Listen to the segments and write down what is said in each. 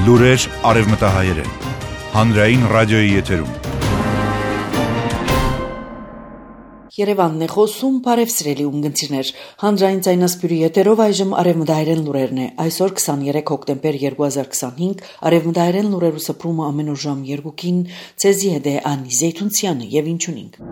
Լուրեր արևմտահայերեն, հանրային ռադիոյի եթերում։ Երևանն է խոսում, բարև սիրելի ունգընտիրներ, հանրային ձայնասպյուրի եթերով այժմ արևմտահայերեն լուրերն է, այսօր 23 հոկտեմբեր 2025, արևմտահայերեն լուրերու սփռումը ամեն օր ժամ 2-ին, ցեզի հետ է Անի Զեյթունցյանը եւ ինչունինք։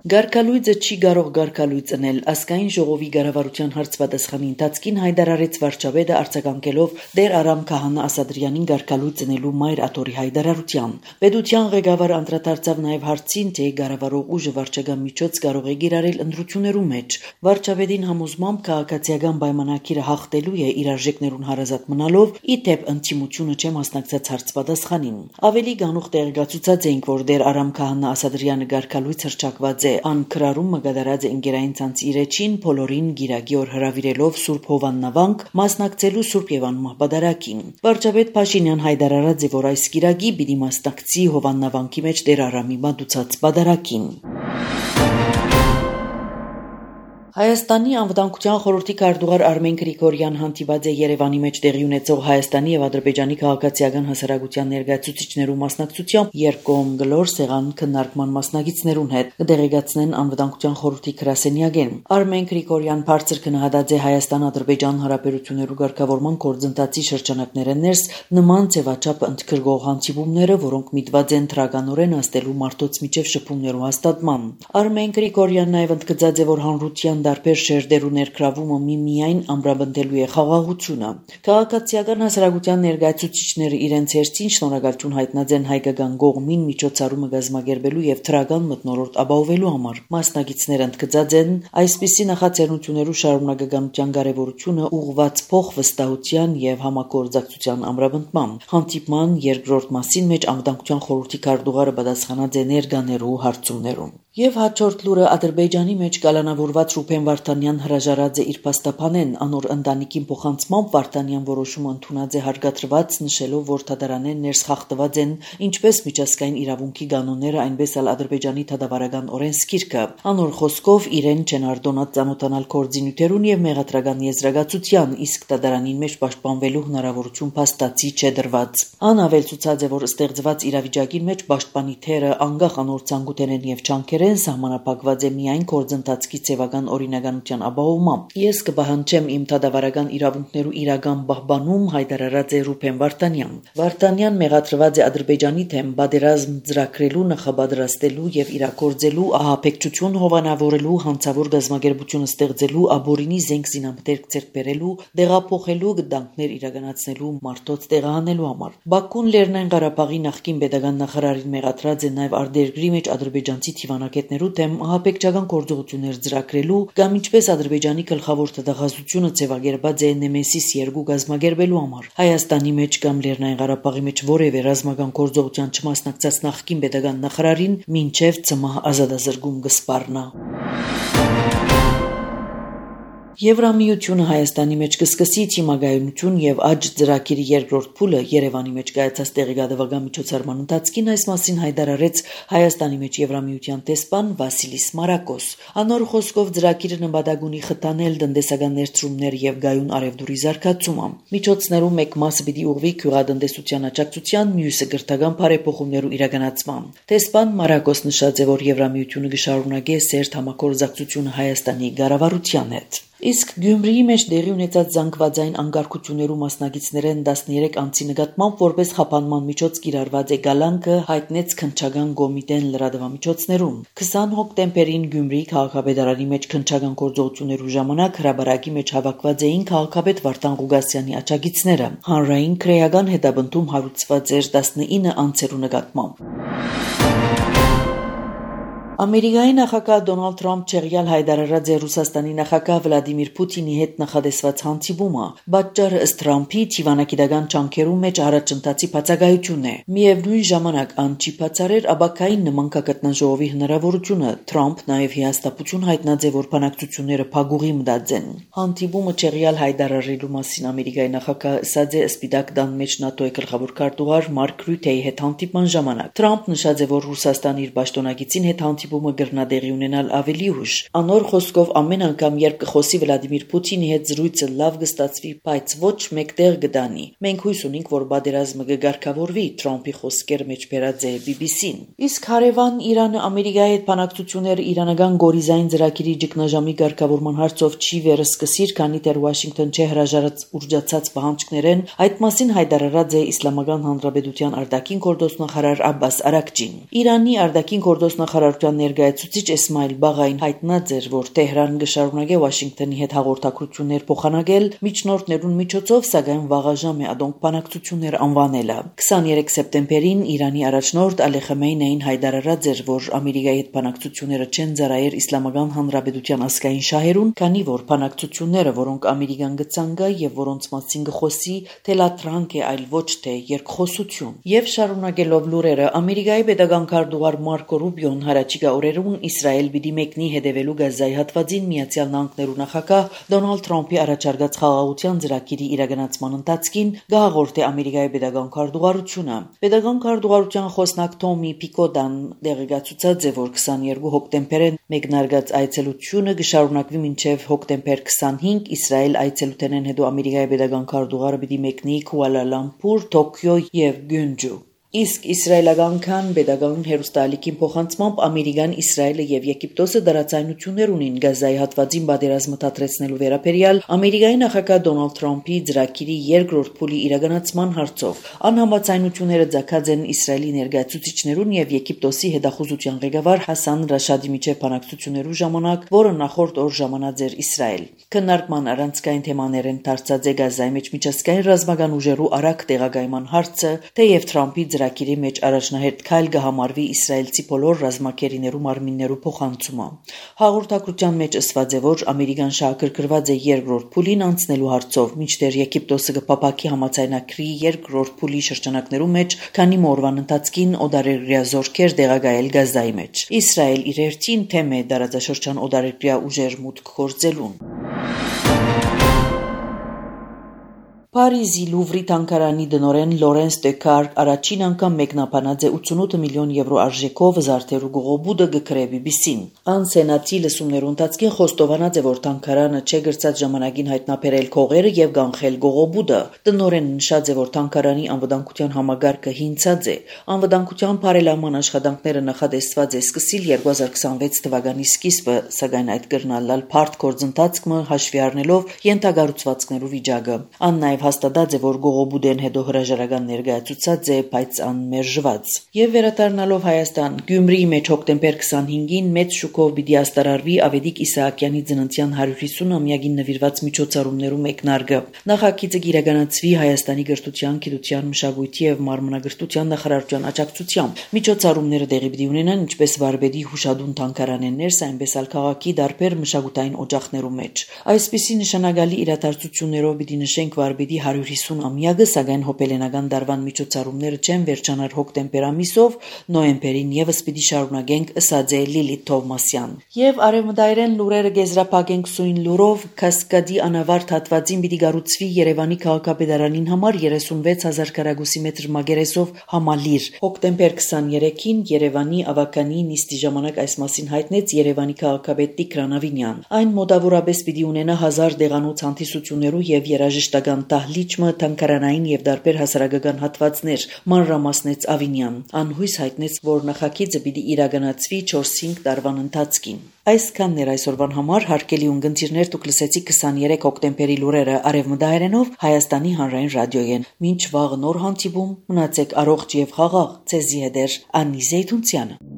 Գարկալույձը չի կարող գարկալույծ ընել, ազգային ժողովի ղարավարության հարցպատասխանի ընթացքին հայտարարեց վարչապետը արձագանքելով Տեր Արամ Քահանա Ասադրյանին գարկալույծ ընելու մայր աթոռի հայտարարության։ Պետության ղեկավար անդրադարձավ նաև հարցին, թե ղարավարող ուժը վարչական միջոց կարող է գիրառել ընտրություններու մեջ։ Վարչապետին համոզմամբ քաղաքացիական պայմանագիրը հաղթելու է իր արժեքներուն հարազատ մնալով, ի դեպ ընդդիմությունը չէ մասնակցած հարցպատասխանին։ Ավելի գանուխ տեղեկացուցած էինք, որ Տեր Արամ Քահանա Ասադրյանը գարկալույծ հռչակված է Անկրարում մգադարած է ընկերային ցանցի իրեջին բոլորին գիրագի օր հրավիրելով Սուրբ Հովաննավանք մասնակցելու Սուրբ Եվանմահ պատարագին։ Վարչապետ Փաշինյան հայտարարած է, որ այս գիրագի պիտի մասնակցի Հովաննավանքի մեջ Տեր Արամի մատուցած պատարագին։ Հայաստանի անվտանգության խորհրդի քարտուղար Արմեն Գրիգորյան հանդիպած է Երևանի մեջ տեղի ունեցող Հայաստանի եւ Ադրբեջանի քաղաքացիական հասարակության ներկայացուցիչներու մասնակցությամբ երկկողմ գլոր սեղան քննարկման մասնակիցներուն հետ կդեղեկացնեն անվտանգության խորհրդի գրասենյակեն։ Արմեն Գրիգորյան բարձր քննադատած է Հայաստան-Ադրբեջան հարաբերություններու ղեկավարման գործընթացի շրջանակները ներս նման ձևաչափ ընդգրկող հանդիպումները, որոնք միտված են դրականորեն աստելու մարդոց միջև շփումներու հաստատման։ Արմեն Գրիգորյանն նաև ընդգծած է, որ հանրության դարբեր շերտերու ներգրավումը միմիայն ամրապնդելու է խաղաղությունը։ Քաղաքացիական հասարակության ներկայացուցիչները իրենց հերթին շնորհակալություն հայտնած են հայկական կողմին միջոցառումը կազմակերպելու եւ թրական մթնոլորտ ապահովելու համար։ Մասնակիցները ընդգծած են այսպիսի նախաձեռնություններու շարունակականության կարեւորությունը ուղղված փոխվստահության եւ համագործակցության ամրապնդման։ Հանդիպման երկրորդ մասին մեջ անվտանգության խորհրդի քարտուղարը պատասխանած է ներկաներու հարցումներուն։ Եվ հաջորդ լուրը Ադրբեջանի մեջ կալանավորված Ռուբեն Վարդանյան հրաժարած է իր փաստաբանեն, անոր ընտանիքին փոխանցմամբ Վարդանյան որոշումը ընդունած է հարգադրված, նշելով, որ դատարանեն ներս խախտված են ինչպես միջազգային իրավունքի կանոնները, այնպես էլ Ադրբեջանի դատավարական օրենսգիրքը։ Անոր խոսքով իրեն չեն արտոնած ծանոթանալ կորձինյութերուն եւ մեղադրական եզրակացության, իսկ դատարանին մեջ պաշտպանվելու հնարավորություն փաստացի չէ դրված։ Ան ավելցուցած է, որ ստեղծված իրավիճակին մեջ պաշտպանի թերը անկախ անոր ցանկութենեն եւ չանկերեն սահմանափակված է միայն գործընթացքի ձևական օրինականության ապահովմամբ։ Ես կպահանջեմ իմ դատավարական իրավունքներու իրական պահպանում, հայտարարած է Ռուբեն Վարդանյան։ Վարդանյան մեղադրված է Ադրբեջանի դեմ պատերազմ ծրագրելու, նախապատրաստելու եւ իրագործելու, ահաբեկչություն հովանավորելու, հանցավոր գազམ་ագերբություն ստեղծելու, աբորինի զենք զինամթերք ձեռք բերելու, տեղափոխելու, գտանքներ իրականացնելու, մարդոց տեղահանելու համար։ Բաքուն Լեռնային Ղարաբաղի նախկին պետական նախարարին մեղադրած է նաեւ արտերկրի մեջ ադրբեջանցի թիվանակետներու դեմ ահաբեկչական գործողություններ ծրագրելու կամ ինչպես Ադրբեջանի գլխավոր դատախազությունը ձևակերպած է Նեմեսիս 2 գազམ་ագերբելու համար։ Հայաստանի մեջ կամ Լեռնային Ղարաբաղի մեջ որևէ ռազմական գործողության չմասնակցած նախկին պետական նախարարին մինչև ծմահ ազատազրկում կսպառնա։ Եվրամիությունը Հայաստանի մեջ կսկսի թիմագայունություն եւ աճ ծրագիրի երկրորդ փուլը Երևանի մեջ կայացած տեղեկատվական միջոցառման ընթացքին այս մասին հայտարարեց Հայաստանի մեջ Եվրամիության տեսփան Վասիլիս Մարակոս։ Անոր խոսքով ծրագիրը նպատակ ունի խթանել տնտեսական ներդրումներ եւ գայուն արևդուրի զարգացումը։ Միջոցներու մեկ մասը պիտի ուղղվի գյուղատնտեսության աջակցության, մյուսը գրթական բարեփոխումներու իրականացման։ Տեսփան Մարակոս նշած է, որ Եվրամիությունը կշարունակի սերտ համագործակցությունը Հայաստանի ղարավարության հետ։ Իսկ Գյումրիի մեջ տեղի ունեցած զանգվածային անկարգություններու մասնակիցներեն 13 անձի նկատմամբ որպես խափանման միջոց կիրառված է գալանքը հայտնեց քննչական կոմիտեն լրատվամիջոցներում։ 20 հոկտեմբերին Գյումրիի քաղաքապետարանի մեջ քննչական գործողություններու ժամանակ հրաբարակի մեջ հավաքված էին քաղաքապետ Վարդան Ղուգասյանի աջակիցները։ Հանրային քրեական հետապնդում հարուցված էր 19 անձերու նկատմամբ։ Ամերիկայի նախագահ Դոնալդ Թրամփ չեղյալ հայտարարած է Ռուսաստանի նախագահ Վլադիմիր Պուտինի հետ նախադեсված հանդիպումը։ Պատճառը ըստ Թրամփի թիվանակիտական ջանքերու մեջ առաջընթացի բացակայությունն է։ Միևնույն ժամանակ ան չի բացառեր աբակային նմանկագտնաժողովի հնարավորությունը։ Թրամփ նաև հիաստապություն հայտնած է, որ բանակցությունները փակուղի մտած են։ Հանդիպումը չեղյալ հայտարարելու մասին Ամերիկայի նախագահը ասաց է Սպիտակ տան մեջ ՆԱՏՕ-ի գլխավոր քարտուղար Մարկ Ռյուտեի հետ հանդիպման ժամանակ։ Թրամփ նշած է, որ Ռուսաստանը իր պաշտոնակիցին հետ հանդիպումը գրնադեղի ունենալ ավելի ուշ։ Անոր խոսքով ամեն անգամ, երբ կխոսի Վլադիմիր Պուտինի հետ զրույցը լավ կստացվի, բայց ոչ մեկտեղ կդանի։ Մենք հույս ունենք, որ բادرազմը կգարգավորվի, Թրամփի խոսքեր մեջ բերած է BBC-ն։ Իսկ հարևան Իրանը Ամերիկայի հետ բանակցությունները իրանական գորիզային ծրագիրի ճգնաժամի ղեկավարման հարցով չի վերսկսիր, քանի դեռ Վաշինգտոն չէ հրաժարած ուրջացած պահանջներեն, այդ մասին հայտարարած է Իսլամական Հանրապետության արտաքին գործոստնախարար Աբբաս Արաքչին։ Իրանի արտաքին գործոստնախարարության ներկայացուցիչ Էսմայիլ Բաղային հայտնած էր, որ Թեհրան կշարունակի Վաշինգտոնի հետ հաղորդակցություններ փոխանակել միջնորդներուն միջոցով, սակայն վաղաժամ է ադոնք բանակցություններ անվանելը։ 23 սեպտեմբերին Իրանի առաջնորդ Ալի Խամենեին հայտարարած էր, որ Ամերիկայի հետ բանակցությունները չեն ծառայել Իսլամական Հանրապետության ազգային շահերուն, քանի որ բանակցությունները, որոնք Ամերիկան գցանգա եւ որոնց մասին գխոսի, թելատրանք է, այլ ոչ թե երկխոսություն։ Եվ շարունակելով լուրերը, Ամերիկայի պետական քարտուղար Մարկո Ռուբիոն հարաճիգա օրերուն Իսրայել պիտի մեկնի հետևելու Գազայի հատվածին Միացյալ Նահանգներու նախագահ Դոնալդ Թրամփի առաջարկած խաղաղության ծրագիրի իրականացման ընթացքին գահաղորդե Ամերիկայի պետական քարտուղարությունը։ Պետական քարտուղարության խոսնակ Թոմի Պիկոդան դեղեկացուցած է, որ 22 հոկտեմբերին մեկնարկած այցելությունը կշարունակվի մինչև հոկտեմբեր 25 Իսրայել այցելութենեն հետո Ամերիկայի պետական քարտուղարը պիտի մեկնի Քուալա Լամփուր, Տոկիո եւ Գյունջու։ Իսկ իսրայելական քան պետական հերոստալիքին փոխանցմամբ Ամերիկան, Իսրայելը եւ Եգիպտոսը դարացայնություններ ունին Գազայի հատվածին բادرազմը դադրեցնելու վերաբերյալ Ամերիկայի նախագահ Դոնալդ Թրամփի ծրագիրի երկրորդ փուլի իրականացման հարցով։ Անհամաձայնությունները ցակած են Իսրայելի ներկայացուցիչներուն եւ Եգիպտոսի հետախուզության ղեկավար Հասան Ռաշադի միջև բանակցություններու ժամանակ, որը նախորդ օր ժամանած էր Իսրայել։ Քննարկման առանցքային թեմաներեն դարձած է Գազայի մեջ միջազգային ռազմական ուժերու արագ տեղակայման հարցը, թեև Թրամփի ծրագիրի մեջ առաջնահերթ քայլ կհամարվի իսրայելցի բոլոր ռազմակերիներու մարմիններու փոխանցումը։ Հաղորդակցության մեջ ասված է, որ Ամերիկան շահագրգռված է երկրորդ փուլին անցնելու հարցով, մինչդեռ Եգիպտոսը կփապակի համաձայնագրի երկրորդ փուլի շրջանակներու մեջ, քանի մօրվան ընթացքին օդարերկրյա զորքեր տեղակայել Գազայի մեջ։ Իսրայել իր հերթին թեմ է դարաձաշրջան օդարերկրյա ուժեր մուտք գործելուն։ Փարիզի Լուվրի թանգարանի դնորեն Լորենս Դեկար առաջին անգամ մեկնաբանած է 88 միլիոն եվրո արժեքով զարդերու գողոբուդը գկրե BBC-ն։ Ան սենատի լսումներու ընթացքին խոստովանած է, որ թանգարանը չէ գրծած ժամանակին հայտնաբերել քողերը եւ կանխել գողոբուդը։ Դնորեն նշած է, որ թանգարանի անվտանգության համագարկը հինցած է։ Անվտանգության բարելավման աշխատանքները նախադեсված է սկսիլ 2026 թվականի սկիզբը, սակայն այդ կրնալալ բարդ գործընթացքը հաշվի առնելով ենթագառուցվածքներու վիճակը։ Ան նաեւ հաստատած է, որ գողոբուդեն հետո հրաժարական ներկայացուցած է, բայց անմերժված։ Եվ վերադառնալով Հայաստան, Գյումրիի մեջ հոկտեմբեր 25-ին մեծ շուկով պիտի աստարարվի Ավետիք Իսահակյանի ծննդյան 150-ամյակին նվիրված միջոցառումներու մեկնարկը։ Նախագիծը կիրականացվի Հայաստանի գրթության, գիտության, մշակույթի եւ մարմնագրթության նախարարության աջակցությամբ։ Միջոցառումները տեղի պիտի ունենան ինչպես Վարպետի հուշադուն թանգարանեն ներս, այնպես էլ քաղաքի դարբեր մշակութային օջախներու մեջ։ Այսպիսի նշանակալի իրադարձություններով պիտի նշենք Վարպետի 150-ամյակը, սակայն հոպելենական դարվան միջոցառումները չեն վերջանար հոկտեմբեր ամիսով, նոյեմբերին եւս պիտի շարունակենք, ըսած է Լիլիթ Թովմասյան։ Եվ արևմտայրեն լուրերը գեզրափակենք սույն լուրով, Կասկադի անավարտ հատվածին պիտի գառուցվի Երևանի քաղաքապետարանին համար 36,000 քառակուսի մետր մագերեսով համալիր։ Հոկտեմբեր 23-ին Երևանի ավականի նիստի ժամանակ այս մասին հայտնեց Երևանի քաղաքապետ Տիգրան Ավինյան։ Այն մոտավորապես պիտի ունենա 1000 դեղանոց հանդիսություններու եւ երաժշտական տահլիճը, թանգարանային եւ դարբեր հասարակական հատվածներ, մանրամասնեց Ավինյան։ Անհույս հայտնեց, որ նախագիծը պիտի իրականացվի 4-5 տարվան ընթացքին։ Այսքանն էր այսօրվան համար, հարգելի ունգընտիրներ, դուք լսեցիք 23 հոկտեմբերի լուրերը արևմտահայերենով Հայաստանի հանրային ռադիոյեն։ Մինչ վաղ նոր հանդիպում, մնացեք առողջ եւ խաղաղ, ցեզի հետ Անի Զեյթունցյանը։